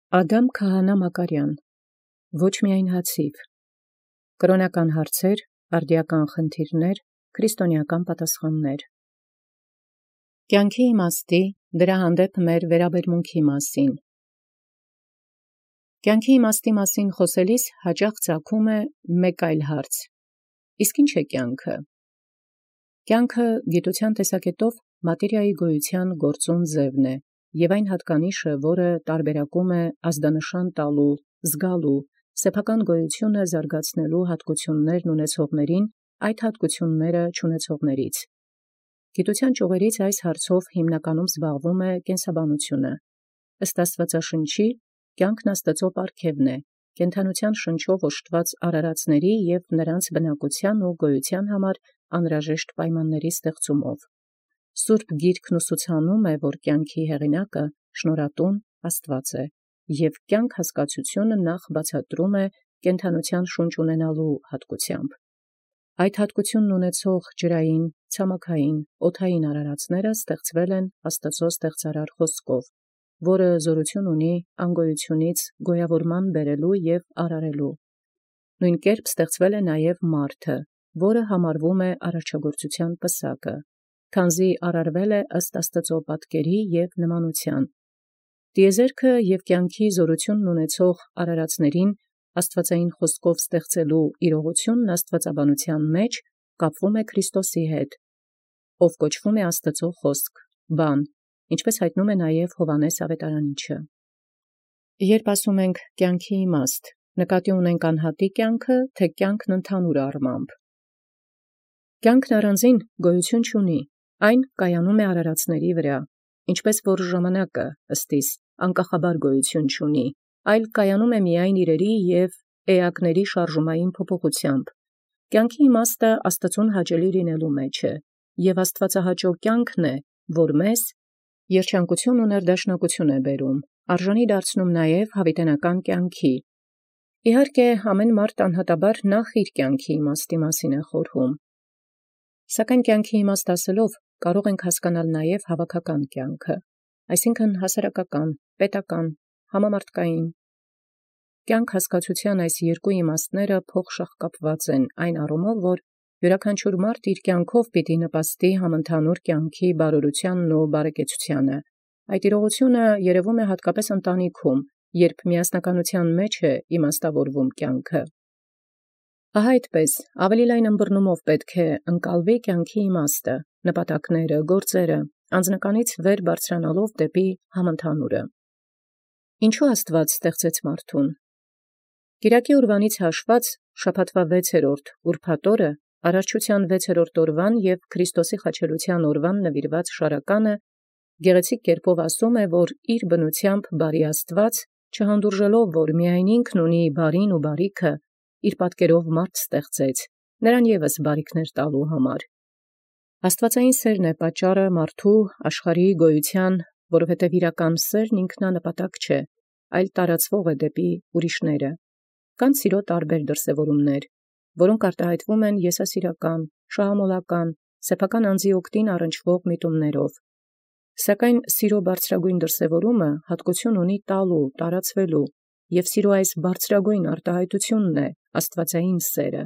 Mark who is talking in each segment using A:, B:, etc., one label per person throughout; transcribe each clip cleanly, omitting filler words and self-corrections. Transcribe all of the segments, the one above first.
A: Ադամ Քահանա Մակարյան, ոչ միայն հացիվ, կրոնական հարցեր, արդիական խնդիրներ, քրիստոնեական պատասխաններ։ Կյանքի իմաստի, դրա հանդեպ մեր վերաբերմունքի մասին։ Կյանքի իմաստի մասին խոսելիս հաճախ ծագում է մեկ այլ հարց. իսկ ինչ է կյանքը։ Կյանքը գիտության տեսակետով մատերիայի գոյության գործուն ձևն է, և այն հատկանիշը, որը տարբերակում է ազդանշան տալու, զգալու, սեփական գոյությունը զարգացնելու հատկություններն ունեցողներին այդ հատկությունները չունեցողներից։ Գիտության ճյուղերից այս հարցով հիմնականում զբաղվում է կենսաբանությունը։ Ըստ Աստվածաշնչի, կյանքն Աստծո պարգևն է, կենդանության շնչով օժտված արարածների և նրանց բնակության ու գոյության համար անհրաժեշտ պայմանների ստեղծումով։ Սուրբ Գիրքն ուսուցանում է, որ կյանքի հեղինակը շնորհատուն Աստված է, և կյանք հասկացությունը նախ բացատրում է կենդանության շունչ ունենալու հատկությամբ։ Այդ հատկությունն ունեցող ջրային, ցամաքային, օդային արարածները ստեղծվել են Աստծո ստեղծարար խոսքով, որը զորություն ունի անգոյությունից գոյավորման բերելու և արարելու։ Նույն կերպ ստեղծվել է նաև մարդը, որը համարվում է արարչագործության պսակը, քանզի արարվել է ըստ Աստծո պատկերի և նմանության։ Տիեզերքը և կյանքի զորությունն ունեցող արարածներին աստվածային խոսքով ստեղծելու իրողությունն աստվածաբանության մեջ կապվում է Քրիստոսի հետ, ով կոչվում է Աստծո խոսք, բան, ինչպես հայտնում է նաև Հովհաննես Ավետարանիչը։ Երբ ասում ենք կյանքի իմաստ, նկատի ունենք անհատի կյանքը, թե կյանքն ընդհանուր առմամբ։ Կյանքն առանձին գոյություն չունի, այն կայանում է արարածների վրա, ինչպես որ ժամանակը ըստիս անկախաբար գոյություն չունի, այլ կայանում է միայն իրերի և էակների շարժումային փոփոխությամբ։ Կյանքի իմաստը Աստծուն հաճելի լինելու մեջ է, և աստվածահաճո կյանքն է, որ մեզ երջանկություն ու ներդաշնակություն է բերում, արժանի դարձնում նաև հավիտենական կյանքի։ Իհարկե, ամեն մարդ անհատաբար նախ իր կյանքի իմաստի մասին է խորհում։ Սակայն կյանքի իմաստ ասելով կարող ենք հասկանալ նաև հավաքական կյանքը, այսինքն հասարակական, պետական, համամարտկային։ Կյանք հասկացության այս երկու իմաստները փոխշաղկապված են այն առումով, որ յուրաքանչյուր մարդ իր կյանքով պիտի նպաստի համընդհանուր կյանքի բարօրությանն ու բարեկեցությանը։ Այդ իրողությունը երևում է հատկապես ընտանիքում, երբ միասնականության մեջ է իմաստավորվում կյանքը։ Ահա այդպես, ավելի լայն ըմբռնումով պետք է ընկալվի կյանքի իմաստը, նպատակները, գործերը, անձնականից վեր բարձրանալով դեպի համընդհանուրը։ Ինչու Աստված ստեղծեց մարդուն։ Կիրակի օրվանից հաշված շաբաթվա 6-րդ ուրբաթ օրը արարչության 6-րդ օրվան և Քրիստոսի խաչելության օրվան նվիրված շարականը գեղեցիկ կերպով ասում է, որ իր բնությամբ բարի Աստված, չհանդուրժելով, որ միայն ինքն ունի բարին ու բարիքը, իր պատկերով մարդ ստեղծեց, նրան ևս բարիքներ տալու համար։ Աստվածային սերն է պատճառը մարդու աշխարհի գոյության, որովհետև իրական սերն ինքնանպատակ չէ, այլ տարածվող է դեպի ուրիշները։ Կան սիրո տարբեր դրսևորումներ, որոնք արտահայտվում են եսասիրական, շահամոլական, սեփական անձի օգտին առնչվող միտումներով։ Սակայն սիրո բարձրագույն դրսևորումը հատկություն ունի տալու, տարածվելու, և սիրո այս բարձրագույն արտահայտությունն է աստվածային սերը։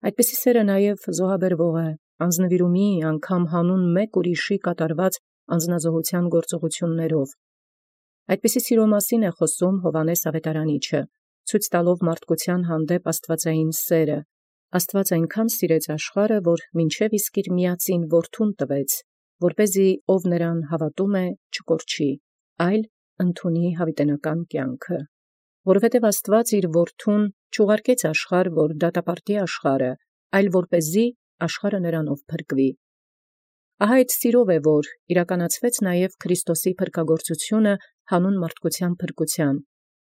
A: Այդպիսի սերը նաև զոհաբերվող է, անձնվիրումի, անգամ հանուն մեկ ուրիշի կատարված անձնազոհության գործողություններով։ Այդպիսի սիրո մասին է խոսում Հովհաննես Ավետարանիչը, ցույց տալով մարդկության հանդեպ աստվածային սերը։ Աստված այնքան սիրեց աշխարհը, որ մինչև իսկ իր միածին որդուն տվեց, որպեսզի ով նրան հավատում է, չկորչի, այլ ընդունի հավիտենական կյանքը։ Որովհետև Աստված իր որդուն չուղարկեց աշխարհ, որ դատապարտի աշխարհը, այլ որպեսզի աշխարհը նրանով փրկվի։ Ահա այդ սիրով է, որ իրականացվեց նաև Քրիստոսի փրկագործությունը հանուն մարդկության փրկության,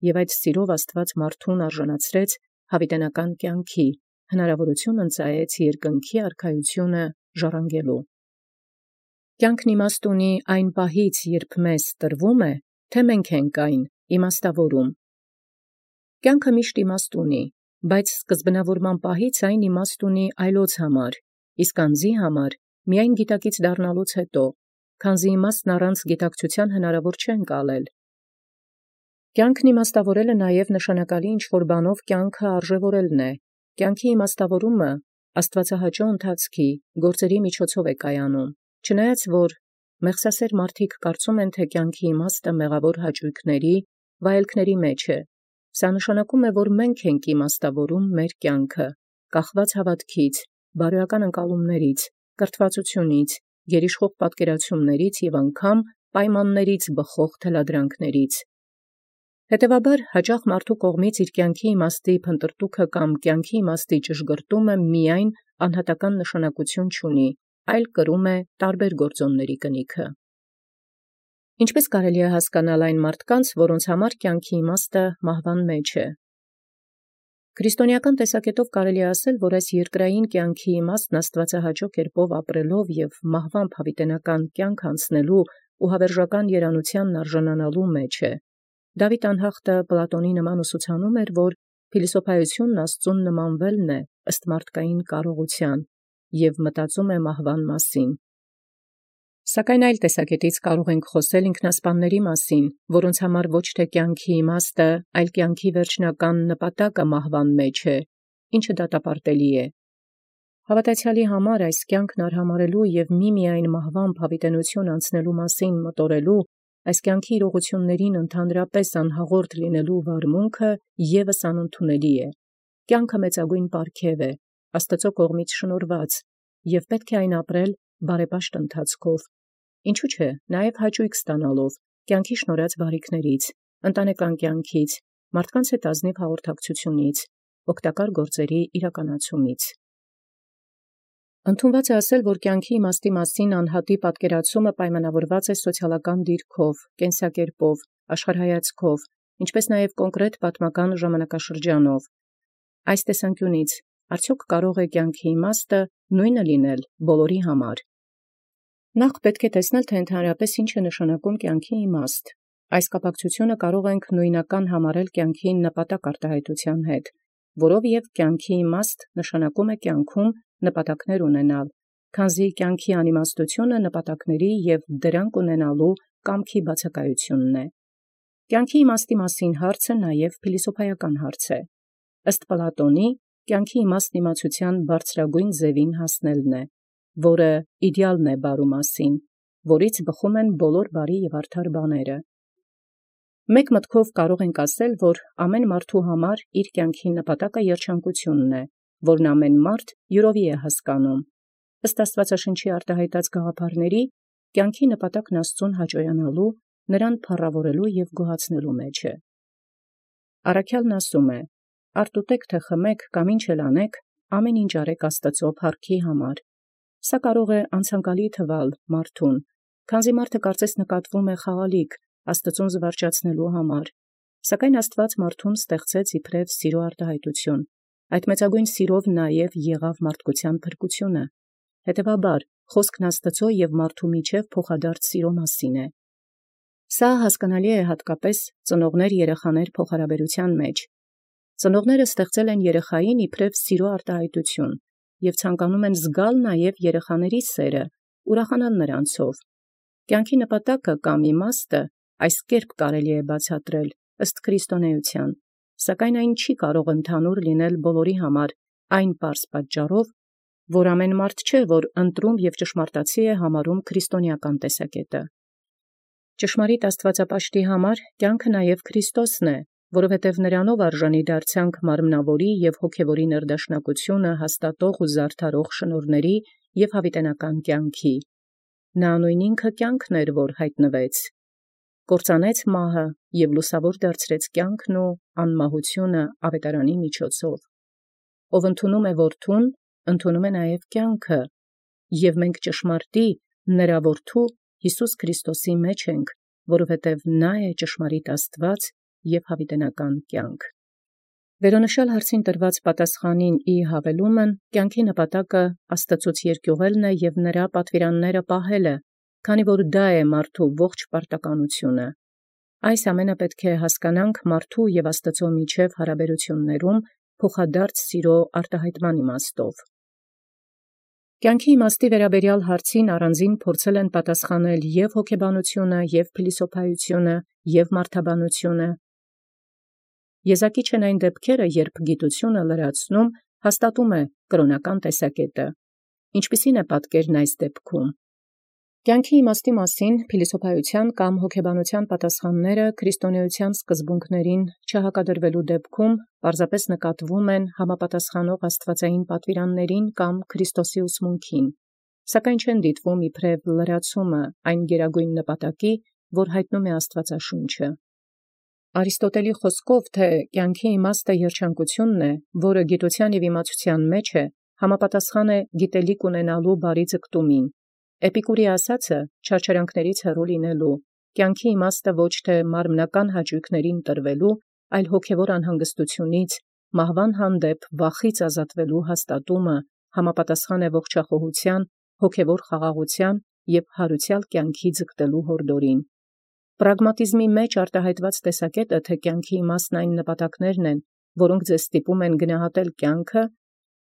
A: և այդ սիրով Աստված մարդուն արժանացրեց հավիտենական կյանքի, հնարավորություն ընծայեց երկնքի արքայությունը ժառանգելու։ Կյանքն իմաստ ունի այն պահից, երբ մեզ տրվում է, թե մենք ենք այն իմաստավորում։ Կյանքը միշտ իմաստ ունի, բայց սկզբնավորման պահից այն իմաստ ունի այլոց համար, իսկ անձի համար միայն գիտակից դառնալուց հետո, քանզի իմաստն առանց գիտակցության հնարավոր չէ ընկալել։ Կյանքն իմաստավորելը նաև նշանակալի ինչ-որ բանով կյանքը արժևորելն է։ Կյանքի իմաստավորումը աստվածահաճո ընթացքի գործերի միջոցով է կայանում։ Չնայած որ մեղսասեր մարդիկ կարծում են, թե կյանքի իմաստը մեղավոր հաճույքների, վայելքների մեջ է, սա նշանակում է, որ մենք ենք իմաստավորում մեր կյանքը, կախված հավատքից, բարոյական ընկալումներից, կրթվածությունից, գերիշխող պատկերացումներից և անգամ պայմաններից բխող թելադրանքներից։ Հետևաբար հաճախ մարդու կողմից իր կյանքի իմաստի փնտրտուքը կամ կյանքի իմաստի ճշգրտումը միայն անհատական նշանակություն չունի, այլ կրում է տարբեր գործոնների կնիքը։ Ինչպես կարելի է հասկանալ այն մարդկանց, որոնց համար կյանքի իմաստը մահվան մեջ է։ Քրիստոնեական տեսակետով կարելի է ասել, որ այս երկրային կյանքի իմաստն աստվածահաճո կերպով ապրելով և մահվամբ հավիտենական կյանք անցնելու ու հավերժական երանությանն արժանանալու մեջ է։ Դավիթ անհախտը Պլատոնի նման ուսուցանում էր, որ փիլիսոփայությունն Աստծուն նմանվելն է ըստ մարդկային կարողության և մտածում է մահվան մասին։ Սակայն այլ տեսակետից կարող ենք խոսել ինքնասպանների մասին, որոնց համար ոչ թե կյանքի իմաստը, այլ կյանքի վերջնական նպատակը մահվան մեջ է, ինչը դատապարտելի է։ Հավատացյալի համար այս կյանքն արհամարելու և միմիայն մահվամբ հավիտենություն անցնելու մասին մտորելու, այս կյանքի իրողություններին ընդհանրապես անհաղորդ լինելու վարմունքը ևս անընդունելի է։ Կյանքը մեծագույն պարգև է, Աստծո կողմից շնորհված, և պետք է այն ապրել բարեպաշտ ընթացքով, ինչու՞ չէ, նաև հաճույք ստանալով կյանքի շնորհած բարիքներից, ընտանեկան կյանքից, մարդկանց հետ ազնիվ հաղորդակցությունից, օգտակար գործերի իրականացումից։ Ընդունված է ասել, որ կյանքի իմաստի մասին անհատի պատկերացումը պայմանավորված է սոցիալական դիրքով, կենսակերպով, աշխարհայացքով, ինչպես նաև կոնկրետ պատմական ժամանակաշրջանով։ Այս տեսանկյունից արդյոք կարող է կյանքի իմաստը նույնը լինել բոլորի համար։ Նախ պետք է տեսնել, թե ընդհանրապես ինչ է նշանակում կյանքի իմաստ։ Այս կապակցությունը կարող ենք նույնական համարել կյանքի նպատակ արտահայտության հետ, որով և կյանքի իմաստ նշանակում է կյանքում նպատակներ ունենալ, քանզի կյանքի անիմաստությունը նպատակների և դրանք ունենալու կամքի բացակայությունն է։ Կյանքի իմաստի մասին հարցը նաև փիլիսոփայական հարց է։ Ըստ Պլատոնի, կյանքի իմաստն իմացության բարձրագույն ձևին հասնելն է, որը իդեալն է բարու մասին, որից բխում են բոլոր բարի և արդար բաները։ Մեկ մտքով կարող ենք ասել, որ ամեն մարդու համար իր կյանքի նպատակը երջանկությունն է, որն ամեն մարդ յուրովի է հասկանում։ Ըստ Աստվածաշնչի արտահայտած գաղափարների, կյանքի նպատակն Աստծուն հաճոյանալու, նրան փառավորելու և գոհացնելու մեջ է։ Առաքյալն ասում է. «Արդ ուտեք թե խմեք կամ ինչ էլ անեք, ամեն ինչ արեք Աստծո փառքի համար»։ Սա կարող է անցանկալի թվալ մարդուն, քանզի մարդը կարծես նկատվում է խաղալիք Աստծուն զվարճացնելու համար, սակայն Աստված մարդուն ստեղծեց իբրև սիրո արտահայտություն, այդ մեծագույն սիրով նաև եղավ մարդկության փրկությունը, հետևաբար խոսքն Աստծո և մարդու միջև փոխադարձ սիրո մասին է։ Սա հասկանալի է հատկապես ծնողներ-երեխաներ փոխհարաբերության մեջ։ Ծնողները ստեղծել են երեխային իբրև սիրո արտահայտություն և ցանկանում են զգալ նաև երեխաների սերը, ուրախանալ նրանցով։ Կյանքի նպատակը կամ իմաստը այս կերպ կարելի է բացատրել ըստ քրիստոնեության, սակայն այն չի կարող ընդհանուր լինել բոլորի համար այն պարզ պատճառով, որ ամեն մարդ չէ, որ ընտրում և ճշմարտացի է համարում քրիստոնեական տեսակետը։ Ճշմարիտ աստվածապաշտի համար կյանքը նաև Քրիստոսն է, որովհետև նրանով արժանի դարձանք մարմնավորի և հոգևորի ներդաշնակությունը հաստատող ու զարդարող շնորհների և հավիտենական կյանքի։ Նա նույն ինքը կյանքն էր, որ հայտնվեց, կործանեց մահը և լուսավոր դարձրեց կյանքն ու անմահությունը ավետարանի միջոցով։ Ով ընդունում է որդուն, ընդունում է նաև կյանքը, և մենք ճշմարտի նրա որդու Հիսուս Քրիստոսի մեջ ենք, որովհետև նա է ճշմարիտ Աստված և հավիտենական կյանք։ Վերոնշյալ հարցին տրված պատասխանին ի հավելումն կյանքի նպատակը Աստծուց երկյուղելն է և նրա պատվիրանները պահելը, քանի որ դա է մարդու ողջ պարտականությունը։ Այս ամենը պետք է հասկանանք մարդու և Աստծո միջև հարաբերություններում փոխադարձ սիրո արտահայտման իմաստով։ Կյանքի իմաստի վերաբերյալ հարցին առանձին փորձել են պատասխանել և հոգեբանությունը, և փիլիսոփայությունը, և մարդաբանությունը, Եզակի չեն այն դեպքերը, երբ գիտությունը լրացնում հաստատում է կրոնական տեսակետը։ Ինչպիսին է պատկերն այս դեպքում։ Կյանքի իմաստի մասին փիլիսոփայության կամ հոգեբանության պատասխանները քրիստոնեության սկզբունքներին չհակադրվելու դեպքում պարզապես նկատվում են համապատասխանող աստվածային պատվիրաններին կամ Քրիստոսի ուսմունքին, սակայն չեն դիտվում իբրև լրացումը այն գերագույն նպատակի, որ հայտնում է Աստվածաշունչը։ Արիստոտելի խոսքով, թե կյանքի իմաստը երջանկությունն է, որը գիտության և իմացության մեջ է, համապատասխան է գիտելիք ունենալու բարի ձգտումին։ Էպիկուրի ասացը չարչարանքներից հեռու լինելու, կյանքի իմաստը ոչ թե մարմնական հաճույքներին տրվելու, այլ հոգևոր անհանգստությունից, մահվան հանդեպ վախից ազատվելու հաստատումը համապատասխան է ողջախոհության, հոգևոր խաղաղության և հարուցյալ կյանքի ձգտելու հորդորին։ Պրագմատիզմի մեջ արտահայտված տեսակետը, թե կյանքի իմաստն այն նպատակներն են, որոնք ձեզ ստիպում են գնահատել կյանքը,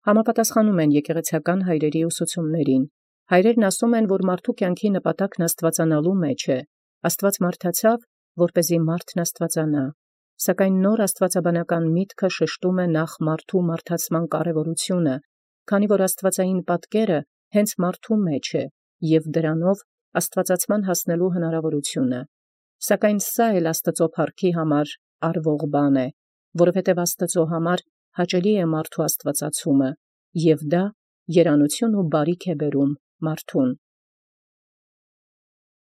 A: համապատասխանում են եկեղեցական հայրերի ուսուցումներին։ Հայրերն ասում են, որ մարդու կյանքի նպատակն աստվածանալու մեջ է։ Աստված մարդացավ, որպեսզի մարդն աստվածանա։ Սակայն նոր աստվածաբանական միտքը շեշտում է նախ մարդու մարդացման կարևորությունը, քանի որ աստվածային պատկերը հենց մարդու մեջ է և դրանով աստվածացման հասնելու հնարավորությունը։ Սակայն սա էլ Աստծո փառքի համար արվող բան է, որովհետև Աստծո համար հաճելի է մարդու աստվածացումը, և դա երանություն ու բարիք է բերում մարդուն։